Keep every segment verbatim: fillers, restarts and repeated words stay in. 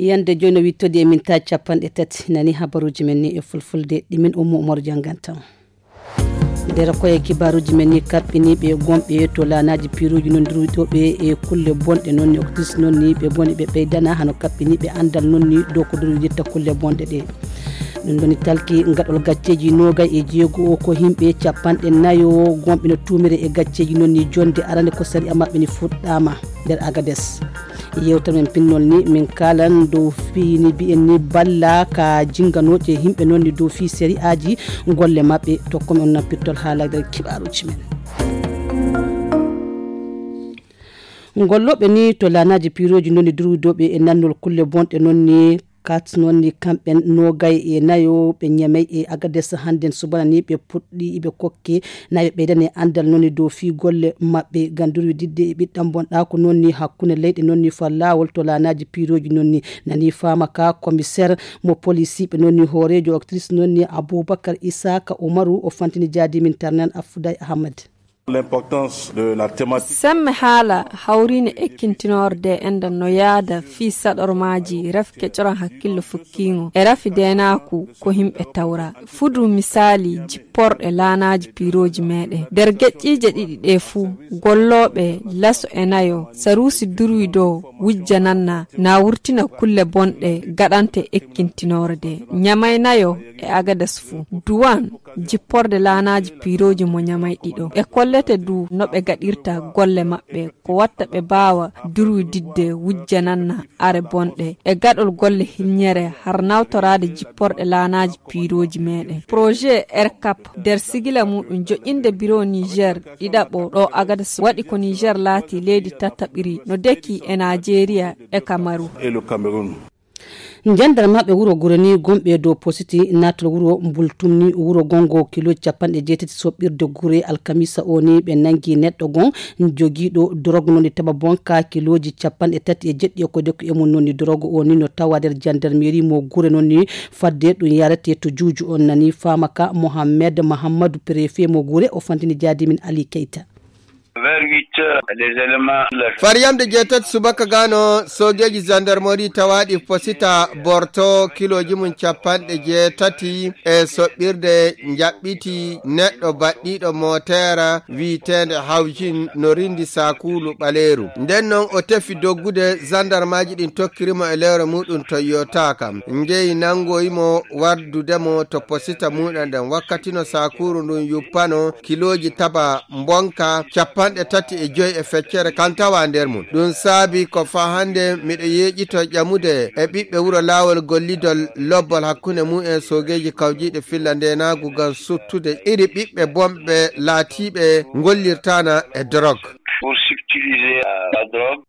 Yande joyi no wittodi e minta capanɗe tati. Nani habaruji men ni e fulfulde, ɗi min Ummu Umar jangantan. Nder koye kibaruji men ni, kaɓɓiniiɓe gonɓe to laanaaji piiruuji non durwiɗo ɓe e kulle bonɗe non ni, octrice non ni ɓe ngoni ɓe ɓeydana hano kaɓɓiniiɓe anndal non ni dow ko durwiditta kulle bonɗe ɗe. Ɗum ɗoni talki gaɗol gacceeji noogay e jeego o, ko yimɓe capanɗe nayo gonɓe no tuumere e gacceeji non ni jonde arande ko sariya maɓɓe ni fuɗɗaama nder Agades. Yewtere men pinnol ni min kaalan dow fii ni mbiyen ni balla ka jinganooje yimɓe non ni dow fii sari'aaji golle maɓɓe. Tokko men on nan pittol haala nder kibaruuji men. Gollooɓe ni to laanaaji piirooji non ni durwidooɓe e nannol kulle bonɗe non ni kat non ni kamɓen noogay e nayo ɓe ñamay e Agades hannden subana ni ɓe puɗɗi ɓe kokke nayo ɓeydane anndal non ni dow fii golle maɓɓe ngam durwididde e ɓiɗɗam bonɗaako non ni hakkunde leyɗe non ni fa laawol to laanaaji piirooji non ni. Nani faama ka commissaire mo polisiiɓe non ni hooreejo octrice non ni Abubakar Isaka Umaru o fantini jaadi min Tarnan Afouday Ahmad. L'importance de la thématique. Semme haala hawriine ekkintinorde enda no yaada fii saɗormaaji rafi kecoran hakkillo fukkiingo e rafi deenaaku ko himɓe tawra. Fudu misaali jipporɗe laanaaji piirooji meɗen. Nder geƴƴiije ɗiɗi ɗe fuu, gollooɓe laso e nayo, saruusi durwi dow wujjananna na wurtina kulle bonɗe gaɗante ekkintinorde. Ñamay nayo e Agadas fuu. Duwan jipporde laanaaji piirooji mo ñamay ɗiɗo. Ɓe kollete du no ɓe gaɗirta golle maɓɓe, ko watta ɓe baawa durwididde wujjananna are bonɗe e gaɗol golle hilñere har nawtoraade jipporɗe laanaaji piirooji meɗen. Projet R cap nder sigila muɗum joƴƴinde biro Niger ɗiɗaɓo ɗo Agadas waɗi ko Niger laati leydi tattaɓiri no deki e Nigeria e Kamaru. Et le Cameroun. Jandarmaaɓe wuro Gure ni gonɓe dow positi naatol wuro Mbultum ni wuro gongo kilooji capanɗe jeetati soɓɓirde Gure alkamisa o ni ɓe nangi neɗɗo gon jogiiɗo dorog non ni taba bonka kilooji capanɗe tati e jeɗɗi e ko dekku e mum non ni dorog o ni no tawa nder jandarmeri mo Gure non ni fadde ɗum yarete to juuju on nani faama ka Mohammed Mahammadu préfet mo Gure o fantini jaadi min Ali Keita. Vers huit heures, les éléments de la Fariyamde jeetati subaka gano soogeeji gendarmerie tawaaɗi posita borto kilooji mum capanɗe jeetati e soɓɓirde njaɓɓiti neɗɗo baɗɗiiɗo moteera wiyeteende Hawjin no rindi sakuulu ɓaleeru. Nden non o tefi doggude, zandarmaaji ɗin tokkiri mo e lewre muɗum Toyota kam. Njeyi nangoyi mo wardude mo to posita muɗum ɗen. Wakkati no sakuuru ndun yuppano kilooji taba mbonka capanɗe tati e joyi e feccere kan tawa nder mum. Ɗum saabi ko faa hannde miɗo yeeƴito ƴamude e ɓiɓɓe wuro laawol gollidol lobbol hakkunde mum e soogeeji kawjiiɗe filla ndeenaagu ngam suttude iri ɓiɓɓe bonɓe laatiiɓe ngollirtaana e dorog. Pour subtiliser la drogue.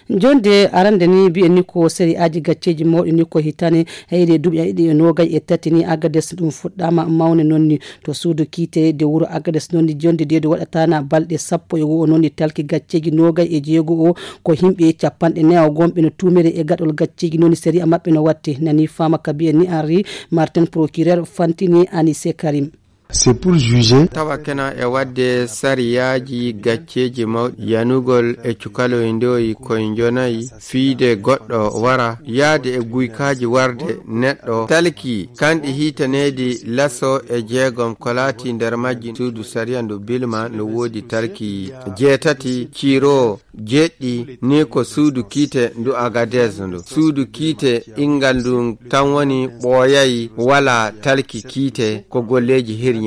Jonde arande ni mbiyen ni ko sari'aaji gacceeji mawɗi ni ko hitane heyre duuɓi ɗiɗi e noogay e tati ni Agades ɗum fuɗɗaama mawne non ni to suudu kiite de wuro Agades non ni jonde de waɗataana balɗe sappo e go'o non ni talki gacceeji noogay e jeego o ko yimɓe capanɗe nayo gonɓe no tuumere e gaɗol gacceeji non ni sari'a maɓɓe no watte nani faama ka mbiyen ni Henri Martin procureur fantini Anise Karim. C'est pour juger. Tawa kena e waɗde sariyaaji gacceeji mawɗi, yanugol e cukaloy ndoyi koye njonayi, fiide goɗɗo wara, yaade e guykaaji warde neɗɗo, talki kanɗi hiitaneedi laso e jeegom ko laati nder majji suudu sariya ndu Bilma no woodi talki jeetati, ciiro jeɗɗi ni ko suudu kiite ndu Agadez ndu. Suudu kiite inngal ndu tan woni ɓooyay wala talki kiite ko golleeji hirñereeji.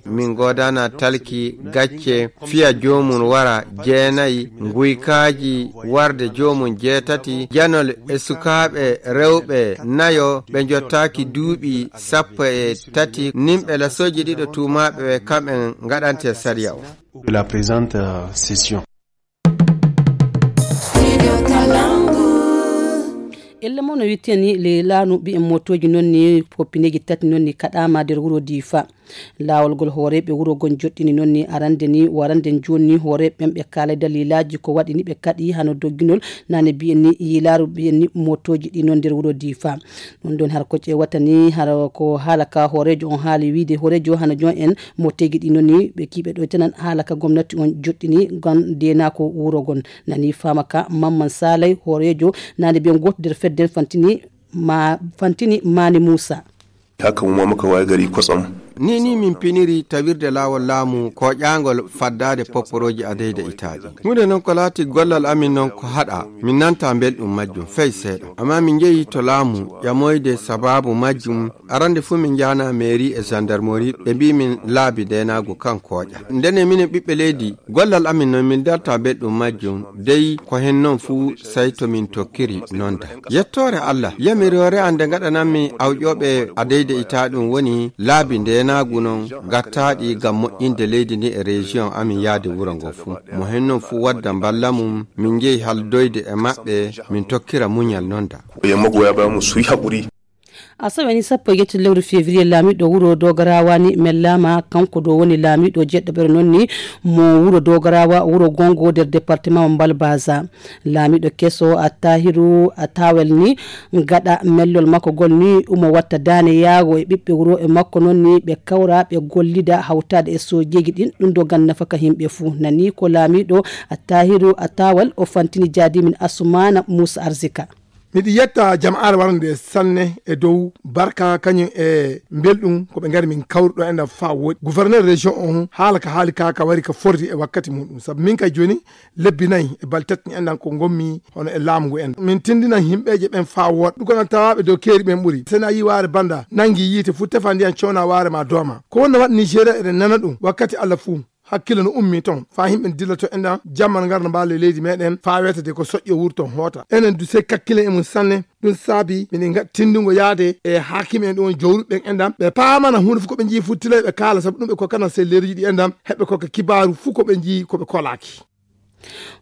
Min ngoodana talki gacce fiya joomum wara jeenayi, nguykaaji warde joomum jeetati, janol e sukaaɓe rewɓe nayo ɓe njottaaki duuɓi sappo e tati, nimɓe lasooji ɗiɗo tuumaaɓe ɓe kamɓe ngaɗante sariya o. De la présente, euh, session. Ella mo no witteni le laanu mbiyen motooji non ni poppineeji tati non ni kaɗaama nder wuro Difa. Laawol ngol hooreeɓe wuro ngon joɗɗini noon ni arande ni warande jooni ni hooreeɓe ɓen ɓe kaalay dalilaaji ko waɗi ni ɓe kaɗi hano dogginol nane mbiyen ni yiilaaru mbiyen ni motooji ɗi noon nder wuro Diifa. Ɗum ɗon har ko ƴeewata ni hara ko haala ka hooreejo on haali wiide hooreejo hano joon en motooji ɗi noon ni ɓe kiiɓe ɗoytanan haala ka gomnati on joɗɗini ngam deenaako wuro ngon. Nani faama ka Mamman Saalay hooreejo nane mbiyen gooto nder fedde fantini ma fantini Maani Muusa. Haka mu ma muka waye gari kwatsam. Ni ni min piniri tawirde laawol laamu koƴaangol faddaade popporooji adeyde itaaɗi. Huunde noon ko laati gollal amin noon ko haɗa, min nanta belɗum majjum fey seeɗa. Amma min njehi to laamu ƴamoyde sabaabu majjum, arande fuu min njaana mairie e gendarmerie, ɓe mbii min laabi deenaagu kan koƴa. Ndene minen ɓiɓɓe leydi, gollal amin noon min darta belɗum majjum, dey ko heen noon fuu sey to min tokkiri nonda. Yettoore Allah, yamiroore an nde ngaɗanammi awƴooɓe adeyde itaa ɗum woni laabi ndeenaagu noon gattaaɗi ngam moƴƴinde leydi ndi e région amin yaade wuro ngo fuu. Mo heen noon fuu wadda mballa mum, min njehi haldoyde e maɓɓe, min tokkira muñal nonda. Yamma goya ba mu suy haƙuri. Asawe ni sappo e jetti lewru février laamiɗo wuro Dogarawa ni mellaama kanko ɗo woni laamiɗo jeɗɗo ɓere noon ni mo wuro Dogarawa wuro Gongo nder département mo Mbalbaza. Laamiɗo keso Attahiru Attawel ni gaɗa mellol makko gol ni umo watta daane yaago e ɓiɓɓe wuro e makko noon ni ɓe kawra ɓe gollida hawtaade e sojeeji ɗin ɗum ɗo gan nafaka yimɓe fuu. Nani ko laamiɗo Attahiru Attawel o fantini jaadimin Asumana Musa Arzika. Miɗi yetta jama'aare warande sanne e dow barka kañum e mbelɗum ko ɓe ngari min kawruɗo enɗam faa woɗi. Gouverneur région on haala ka haali ka ka wari ka forti e wakkati muɗum. Sabu min kay jooni lebbi nayi e balɗe tati enɗam ko ngonmi hono e laamu ngu enɗam. Min tindinan yimɓeeje ɓen faa woɗa. Ɗum ko nan tawaaɓe dow keeri ɓen ɓuri. Sena yi waare banda nangi yiite fu tefa ndiyan cowna waare ma dooma. Ko wonno waɗi Nigeria eɗen nana ɗum wakkati Allah fuu. Hakkille no ummi ton faa yimɓe dilloto enɗam jamma no ngarda mbaale leydi meɗen faa weetade ko soƴƴo wurton hoota. Enen du sey kakkilen e mum sanne. Ɗum saabi miɗen ngaɗi tindungo yaade e haakimi en ɗum woni jowruɓe ɓen enɗam ɓe paamana huunde fof ko ɓe njii futtilay ɓe kaala sabu ɗum ɓe kokkana selleeruji ɗi enɗam heɓe kokka kibaaru fuu ko ɓe njii ko ɓe kolaaki.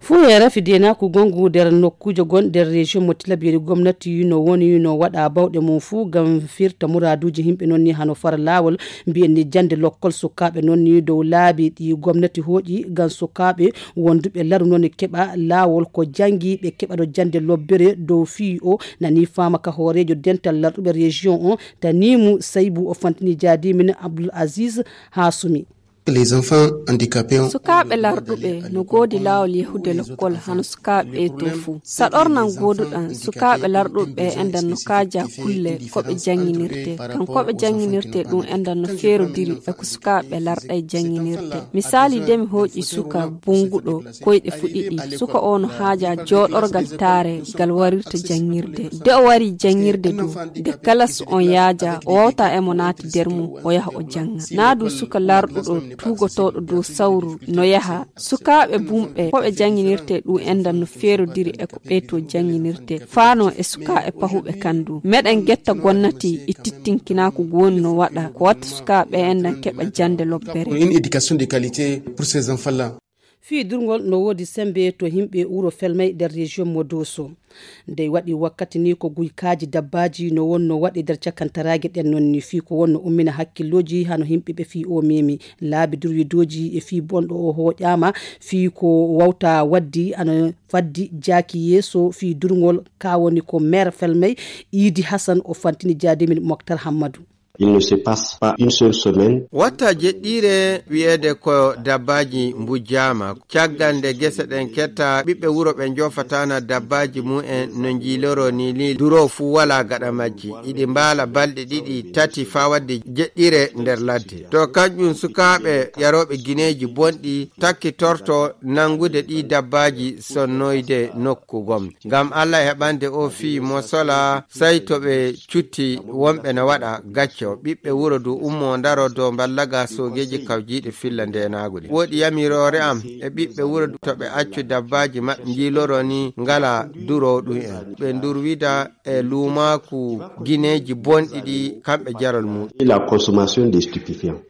Fuu e rafi deenaaku gongu nder nokkuujo gon nder région mo Tilaberi gomnati no woni no waɗa bawɗe mum fuu ngam firta muraaduuji yimɓe noon ni hano fara laawol mbiyen ni jannde lokkol sukaaɓe noon ni dow laabi ɗi gomnati hooƴi ngam sukaaɓe wonduɓe laru noon keɓa laawol ko janngi ɓe keɓa ɗo jannde lobbere dow fii o nani faama ka hooreejo dental larɗuɓe région on tanimu saybu o fantini jaadimin Abdul Aziz Hasumi. Les enfants handicapés ont sukaaɓe larɗuɓe no goodi laawol yahude lokkol hano sukaaɓe ɓe to fuu. Saɗornan gooduɗan sukaaɓe larɗuɓe ɓe enɗan no kaaja kulle ko ɓe jannginirte. Kan ko ɓe jannginirte ɗum enɗan no feerodiri e ko sukaaɓe larɗay jannginirte. Misaali de mi hooƴi suka bunnguɗo koyɗe fu ɗiɗi. Suka o no haaja jooɗorgal taare gal warirta janngirde. De o wari janngirde du, de kalas on yaaja, o wawta e mo naati der mum, o yaha o jannga. Naa du suka larɗuɗo tuugotooɗo dow sawru no yaha. Sukaaɓe bumɓe, ko ɓe jannginirte ɗum enɗan no feerodiri e ko ɓee to jannginirte. Faano e sukaaɓe pahuɓe kan du. Meɗen getta gonnati e tittinkinaaku gooni no waɗa. Ko watta sukaaɓe enɗan keɓa jannde lobbere. Une éducation de qualité pour ces enfants-là. Fii durngol no woodi sembe to yimɓe wuro Felmay nder région mo Doso. Ndey waɗi wakkati ni ko guykaaji dabbaaji no wonno waɗi nder cakantaraage ɗen non ni fii ko wonno ummina hakkillooji hano yimɓe ɓe fii o memi. Laabi durwidooji e fii bonɗo o hooƴaama fii ko wawta waddi ana faddi jaaki yeeso fii durngol ka woni ko maire Felmay Idi Hassan o fantini jaadimin Moktar Hammadu. Il ne se passe pas une seule semaine. Watta jeɗɗiire wiyeede ko dabbaaji mbujjaama. Caggal nde gese ɗen ketta, ɓiɓɓe wuro ɓe njoofatana dabbaaji mumen no njiiloro ni, ni duro fuu walaa gaɗa majji. Iɗi mbaala balɗe ɗiɗi, tati faa wadde jeɗɗiire nder ladde. To kanƴum sukaaɓe yarooɓe gineeji bonɗi takkitorto nanngude ɗii dabbaaji sonnoyde nokku gom. Ngam Alla heɓande o fii mo sola, sey to ɓe cutti wonɓe no waɗa gacce o. Ɓiɓɓe wuro du ummoo ndaro dow mballaga soogeeji kawjiiɗi filla ndeenaagu ɗi. Woɗi yamiroore am e ɓiɓɓe wuro du to ɓe accu dabbaaji maɓɓe njiiloro ni ngala duroowo ɗum en. Ɓe ndurwida e luumaaku gineeji bonɗi ɗi kamɓe jarol muɗum. La consommation des stupéfiants.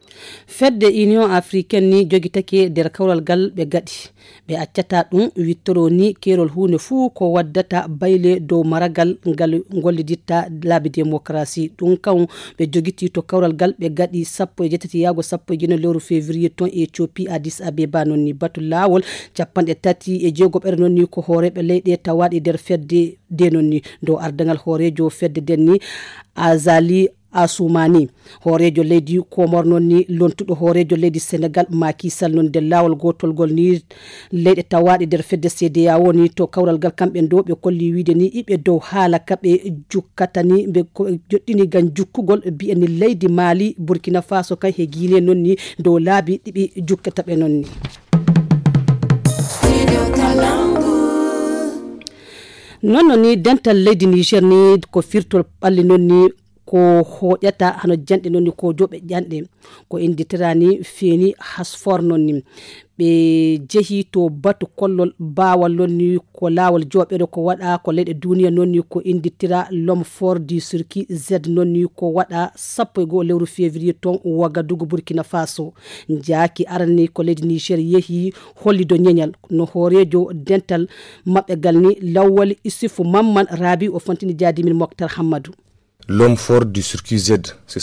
Fedde Union Africaine ni jogitake nder kawral ngal ɓe gaɗi. Ɓe accata ɗum wittoro ni keerol huunde fuu ko waddata bayle dow maragal ngal golliditta laabi demokarasi. Ɗum kam ɓe jogiti to kawral ngal ɓe gaɗi sappo e jeetati yaago sappo e jeenayi lewru février ton e Ethiopie Addis Abeba noon ni batu laawol capanɗe tati e jeegoɓere noon ni ko hooreeɓe leyɗe tawaaɗe nder fedde nde noon ni dow ardaŋal hooreejo fedde nden ni Azali Assoumani. Hooreejo leydi Komor noon ni lontuɗo hooreejo leydi Senegal Macky Sall noon nder laawol gootol ngol ni leyɗe tawaaɗe nder fedde C D A O ni to kawral ngal kamɓe ɗo ɓe kolli wiide ni iɓe dow haala ka ɓe jukkata ni ɓe ko joɗɗini ngam jukkugol mbiyen ni leydi Mali, Burkina Faso kay he Guinée noon ni dow laabi ɗi ɓe jukkata ɓe noon ni. Noon no ni dental leydi Niger ni ko firtol ɓalli noon ni ko hooƴata hano janɗe noon ni ko joɓe ƴanɗe ko inditira ni feeni hasfor noon ni ɓe jehi to batu kollol baawal noon ni ko laawol joɓeɗo ko waɗa ko leyɗe duniya noon ni ko inditira l'homme fort du circuit z noon ni ko waɗa sappo e goo lewru février ton wagadugu burkina faso. Jaaki arani ko leydi niger yehi hollido ñeñal no hooreejo dental maɓɓe gal ni lawwali isufu mamman rabi o fontini jaadimin moktar hammadu. L'homme fort du circuit z.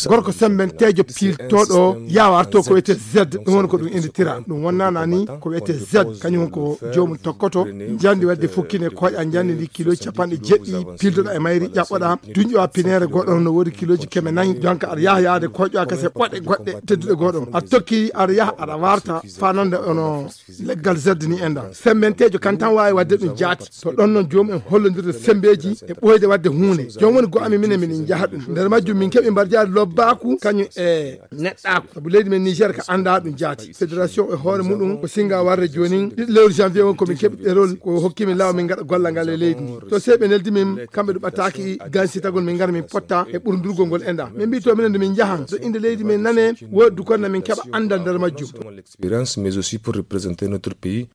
Gorko sembenteejo piiltooɗo yaawa arto ko wiyetee z, ɗum woni ko ɗum innditira. Ɗum wonnana ni ko wiyetee z kañum ko joomum tokkoto njandi wadde fukkine koƴa njandi ndi kiloji capanɗe jeɗɗi piiltoɗa e mayri ƴaɓɓoɗa duñƴowa pineere goɗɗo no woodi kiloji keme nayi jonka aɗa yaha yaade koƴƴowa kase ɓoɗe goɗɗe tedduɗe goɗɗo aɗa tokki aɗa yaha aɗa warta fanande ono leggal zerde ni enɗan sembenteejo kan tan waawi waɗde ɗum jaati. To ɗon noon joomum en hollodirde sembeeji e ɓooyde waɗde huunde joom woni go amin minen miɗen njaha ɗum nder majjum min keɓi mbarjaari lobbaku kañum e neɗɗaaku sabu leydi men niger ka annda ɗum jaati fédération e hoore muɗum ko singa warde joonin ɗiɗo lewru janvier woni komin keɓi ɗerol ko hokkimi law min ngaɗa gollal ngal e leydi ndi to sey ɓe neldi min kamɓe ɗum ɓattaaki gansitagol min ngara min potta e ɓurdurgol ngol enɗan min mbi to minen nde min njahan so innde leydi men nane woodi dukonde min keɓa anndal nder majjum. Expérience mais aussi pour représenter notre pays.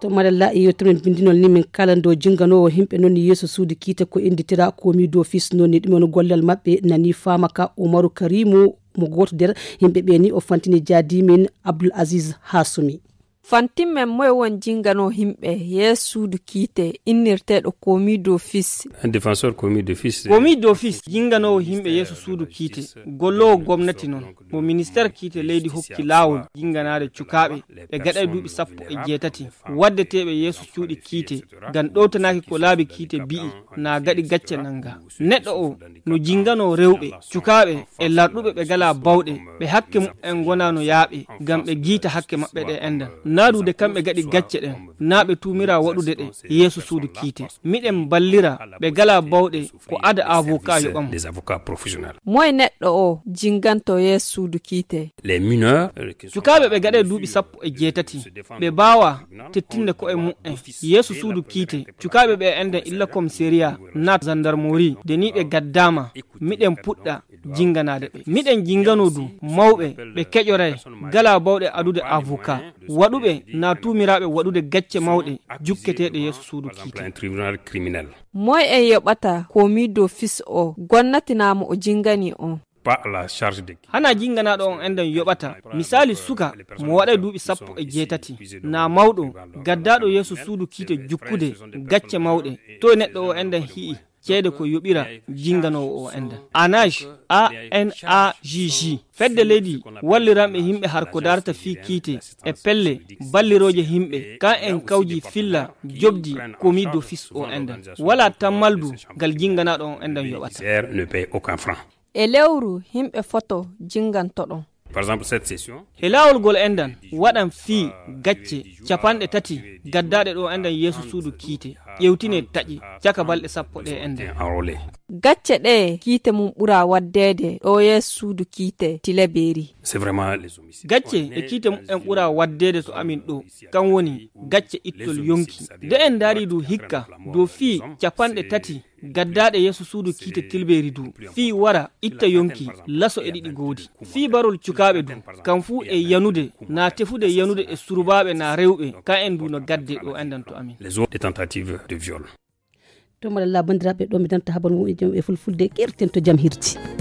To madalla e yewtere men bindinol ni min kalando jinganowo himɓe noon yeeso suudu kiite ko inditira komi d'office noon ni ɗum on gollal maɓɓe nani faama ka umaru karimu mo gooto nder yimɓe ɓe ni o fantini jaadi min abdoul aziz hasumi. Fantimmen moye won jingano himɓe yeeso suudu kiite innirteeɗo komi d'office. Un défenseur commis d'office. Komi d'office jinganoowo yimɓe yeeso suudu kiite golloowo gomnati noon mo ministeer kiite leydi hokki laawol jinganaade cukaaɓe ɓe gaɗay duuɓi sappo e jeetati waddeteeɓe yeeso cuuɗi kiite ngam ɗowtanaaki ko laabi kiite mbi'i na gaɗi gacce nannga. Neɗɗo o no jinganoo rewɓe cukaaɓe e larɗuɓe ɓe ngalaa bawɗe ɓe hakke muɓɓen ngonaa no yaaɓe ngam ɓe giita hakke maɓɓe ɗe enɗan. Naadude kamɓe gaɗi gacce ɗen naa ɓe tuumiraa waɗude ɗe yeeso suudu kiite. Miɗen mballira ɓe ngalaa bawɗe ko ada avocat yoɓa mo. Moye neɗɗo o jinganto yeeso suudu kiite? Cukaaɓe ɓe gaɗe duuɓi sappo e jeetati ɓe mbaawaa tettinde ko'e mu'en yeeso suudu kiite. Cukaaɓe ɓe enɗan illa commissariat naa zandarmori nde ni ɓe gaddaama miɗen puɗɗa jinganaade ɓe miɗen jinganoo du mawɓe ɓe keƴoray ngalaa bawɗe adude avocat waɗuɓe naa tuumiraaɓe waɗude gacce mawɗe jukketeeɗe yeeso suudu kiite. Moy en yoɓata komi d'office o gonnati naa mo o jingani on? Hanaa jinganaaɗo on enɗan yoɓata misaali suka mo waɗay duuɓi sappo e jeetati naa mawɗo gaddaaɗo yeeso suudu kiite jukkude gacce mawɗe. Toy neɗɗo o enɗan hi'i ceede ko yoɓira jinganoowo o enɗan? Anaj, anaj, fedde leydi walliranɓe yimɓe har ko darata fii kiite e pelle ballirooje yimɓe kan en kawji filla jobdi komi d'office o enɗan walaa tammaldu ngal jinganaaɗo on enɗan yoɓata. E lewru yimɓe foto jingantoɗon? He laawol ngol enɗan waɗan fii gacce capanɗe tati gaddaaɗe ɗo enɗan yeeso suudu kiite ƴewtine taƴe caka balɗe sappo ɗe enɗan. Gacce ɗe kiite mum ɓura waddeede ɗo yeeso suudu kiite tilaberi. Gacce e kiite mumen ɓura waddeede to amin ɗo kan woni gacce ittol yonki. Nde en ndaari du hikka dow fii capanɗe tati gaddaaɗe yeeso suudu kiite tilbeeri du fii wara itta yonki laso e ɗiɗi goodi fii barol cukaaɓe du kam fuu e yanude naa tefude yanude e surbaaɓe naa rewɓe ka en du no gadde ɗo enɗan to amin. Les autres tentatives de viol. To malalla banndiraaɓe, ɗo mi darta habar mum e jam e fulfulde, keerten to jam hirti.